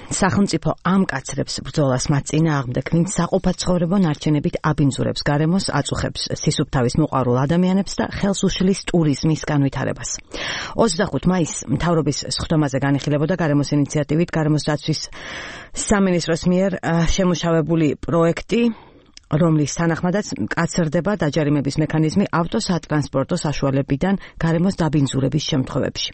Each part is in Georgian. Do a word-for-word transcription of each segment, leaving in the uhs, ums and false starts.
სახელმწიფო ამკაცრებს ბრძოლას მათ წინააღმდეგ, ვინც საყოფაცხოვრებო ნარჩენებით აბინძურებს გარემოს, აწუხებს სისუფთავის მოყვარულ ადამიანებს და ხელს უშლის ტურიზმის განვითარებას. ოცდახუთი მაისს მთავრობის სხდომაზე განიხილებოდა გარემოს ინიციატივით გარემოს დაცვის სამინისტროს მიერ შემუშავებული პროექტი, რომლის თანახმადაც მკაცრდება დაჯარიმების მექანიზმი ავტოსატრანსპორტო საშუალებიდან გარემოს დაბინძურების შემთხვევებში.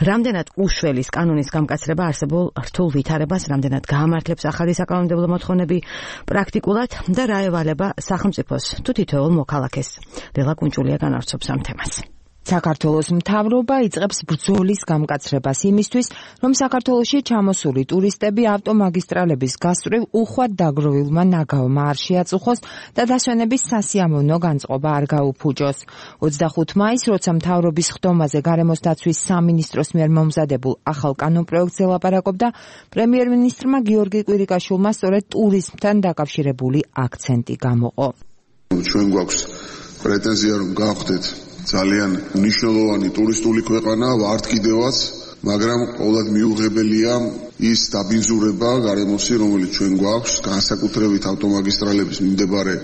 რამდენად უშველის კანონის გამკაცრება არსებულ რთულ ვითარებას, რამდენად გაამართლებს ახალი საკანონმდებლო მოთხოვნები პრაქტიკულად და რა ევალება სახელმწიფოს თუ თითოეულ მოქალაქეს. ლელა კუნჭულია განავრცობს ამ თემას. საქართველოს მთავრობა იწყებს ბრძოლის გამკაცრებას იმისთვის, რომ საქართველოში ჩამოსული ტურისტები ავტომაგისტრალების გასწვრივ უხვად დაგროვილმა ნაგავმა არ შეაწუხოს და დასვენების სასიამოვნო განწყობა არ გაუფუჭოს. ოცდახუთი მაისს, როცა მთავრობის ხდომაზე გარემოს დაცვის სამინისტროს მიერ მომზადებულ ახალ კანონპროექტზე ლაპარაკობდა, პრემიერ-მინისტრმა გიორგი კვირიკაშვილმა სწორედ ტურიზმთან დაკავშირებული აქცენტი გამოყო. ჩვენ გვაქვს პრეტენზია, რომ გავხდეთ ძალიან მნიშვნელოვანი ტურისტული ქვეყანა, ვართ კიდევაც, მაგრამ ყოველად მიუღებელია ის დაბინძურება გარემოსი, რომელიც ჩვენ გვაქვს, განსაკუთრებით ავტომაგისტრალების მიმდებარე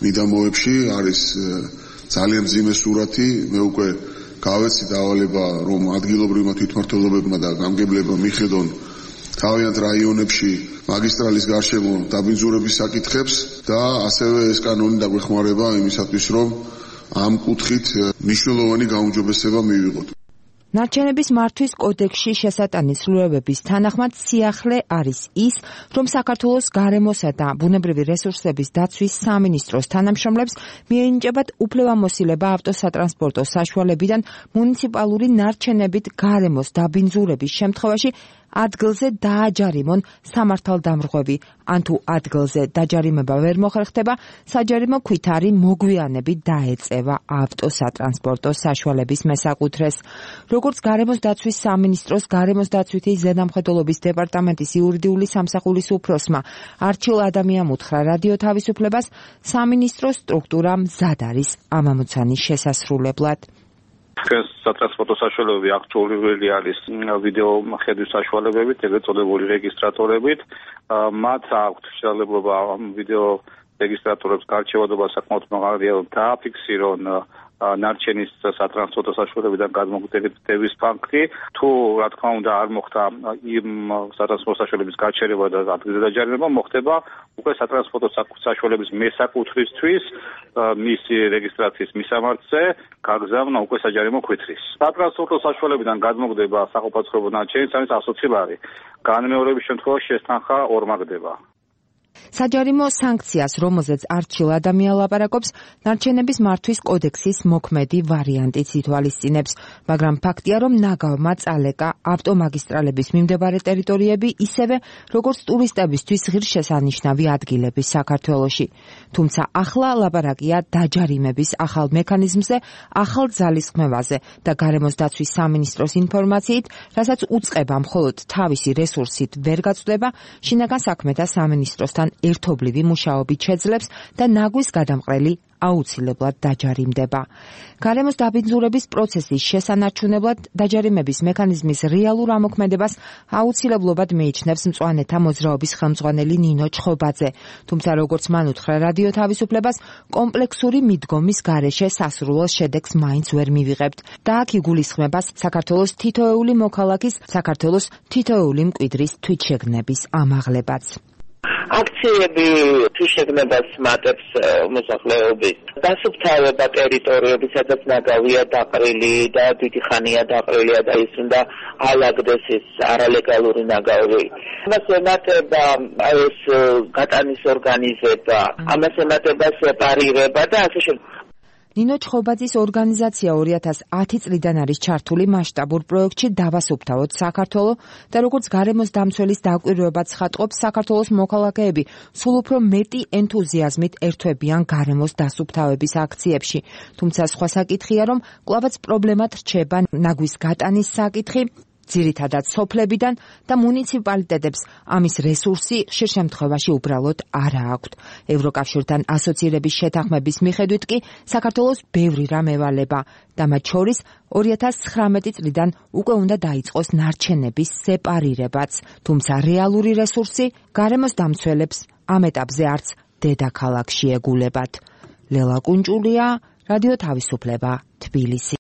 მიდამოებში არის ძალიან მძიმე სურათი. მე უკვე გავეცი დავალება, რომ ადგილობრივმა თვითმმართველობებმა და გამგებლებმა მიხედონ თავიანთ რაიონებში მაგისტრალის გარშემო დაბინძურების საკითხებს და ასევე ეს კანონი დაგვეხმარება იმისათვის, რომ ამ კუთხით მნიშვნელოვანი გაუმჯობესება მივიღოთ. ნარჩენების მართვის კოდექსში შესატანი ცვლილებების თანახმად სიახლე არის ის, რომ საქართველოს გარემოსა და ბუნებრივი რესურსების დაცვის სამინისტროს თანამშრომლებს მიენიჭებათ უფლებამოსილება ავტოსატრანსპორტო საშუალებიდან მუნიციპალური ნარჩენებით გარემოს დაბინძურების შემთხვევაში ადგილზე დააჯარიმონ სამართალდამრღვევი, ან თუ ადგილზე დაჯარიმება ვერ მოხერხდება, საჯარიმო ქვითარი მოგვიანებით დაეწევა ავტოსატრანსპორტო საშუალების მესაკუთრეს. როგორც გარემოს დაცვის სამინისტროს გარემოს დაცვითი ზედამხედველობის დეპარტამენტის იურიდიული სამსახურის უფროსმა არჩილ ადამიანმა უთხრა რადიო თავისუფლებას, სამინისტროს სტრუქტურა მზად არის ამ ამოცანის შესასრულებლად. თქვენს სატრანსპორტო საშუალებები აქტუალური არის ვიდეო ხედვის საშუალებებით, ეგრეთ წოდებული რეგისტრატორებით. მათ აქვთ შესაძლებლობა ამ ვიდეო რეგისტრატორებს გარჩევადობა საკმაოდ მაღალია დააფიქსირონ ნარჩენის სატრანსპორტო საშუალებიდან გადმოგდების ფაქტი. თუ რა თქმა უნდა არ მოხდა იმ სატრანსპორტო საშუალების გაჩერება და ადგილზე დაჯარიმება, მოხდება უკვე სატრანსპორტო საშუალების მესაკუთრისთვის მისი რეგისტრაციის მისამართზე გაგზავნა უკვე საჯარიმო ქვითრის. სატრანსპორტო საშუალებიდან გადმოგდება საყოფაცხოვრებო ნარჩენის არის ათი ბარი. განმეორების შემთხვევაში შესთანხა ორმაგდება. საჯარიმო სანქციას, რომელზეც არჩილ ადამია ლაპარაკობს, ნარჩენების მართვის კოდექსის მოქმედი ვარიანტიც ითვალისწინებს, მაგრამ ფაქტია, რომ ნაგავმა წალეკა ავტომაგისტრალების მიმდებარე ტერიტორიები ისევე, როგორც ტურისტებისთვის ღირსშესანიშნავი ადგილები საქართველოში. თუმცა ახლა ლაპარაკია დაჯარიმების ახალ მექანიზმზე, ახალ ძალისხმევაზე და გარემოს დაცვის სამინისტროს ინფორმაციით, რასაც უწყება მხოლოდ თავისი რესურსით ვერ გაწვდება, შინაგან საქმეთა სამინისტროსთან ერთობლივი მუშაობით შეძლებს და ნაგვის გადამყრელი აუცილებლად დაჯარიმდება. გარემოს დაბინძურების პროცესის შესანარჩუნებლად დაჯარიმების მექანიზმის რეალურ ამოქმედებას აუცილებლობად მიიჩნევს მწვანეთა მოძრაობის ხელმძღვანელი ნინო ჩხობაძე. თუმცა როგორც მან უთხრა რადიო თავისუფლებას, კომპლექსური მიდგომის გარეშე სასურველ შედეგს მაინც ვერ მივიღებთ და აქ იგულისხმება საქართველოს თითოეული მოქალაქის, საქართველოს თითოეული მკვიდრის თვითშეგნების ამაღლებაც. აქციები თვითშეგნებას მატებს მოსახლეობის. დასუფთავება ტერიტორიები, სადაც ნაგავია დაყრილი და დიდი ხანია დაყრილია და ის უნდა ალაგდეს ეს არალეგალური ნაგავი. ამას ემატება ეს გატანის ორგანიზება, ამას ემატება სეპარირება და ასე შემდეგ. ნინო ჩხობაძის ორგანიზაცია ორი ათას ათი წლიდან არის ჩართული მასშტაბურ პროექტში დავასუფთავოთ საქართველო და როგორც გარემოს დამცველის დაკვირვებაც ხატყობს, საქართველოს მოქალაქეები სულ უფრო მეტი ენთუზიაზმით ერთვებიან გარემოს დასუფთავების აქციებში. თუმცა სხვა საკითხია, რომ კვლავაც პრობლემად რჩება ნაგვის გატანის საკითხი ძირითადად სოფლებიდან და მუნიციპალიტეტებს ამის რესურსი ხშირ შემთხვევაში უბრალოდ არა აქვთ. ევროკავშირთან ასოცირების შეთანხმების მიხედვით კი საქართველოს ბევრი რამ ევალება და მათ შორის ორი ათას ცხრამეტი წლიდან უკვე უნდა დაიწყოს ნარჩენების სეპარირებაც, თუმცა რეალური რესურსი გარემოს დამცველებს ამ ეტაპზე არც დედაქალაქში ეგულებათ. ლელა კუნჭულია, რადიო თავისუფლება, თბილისი.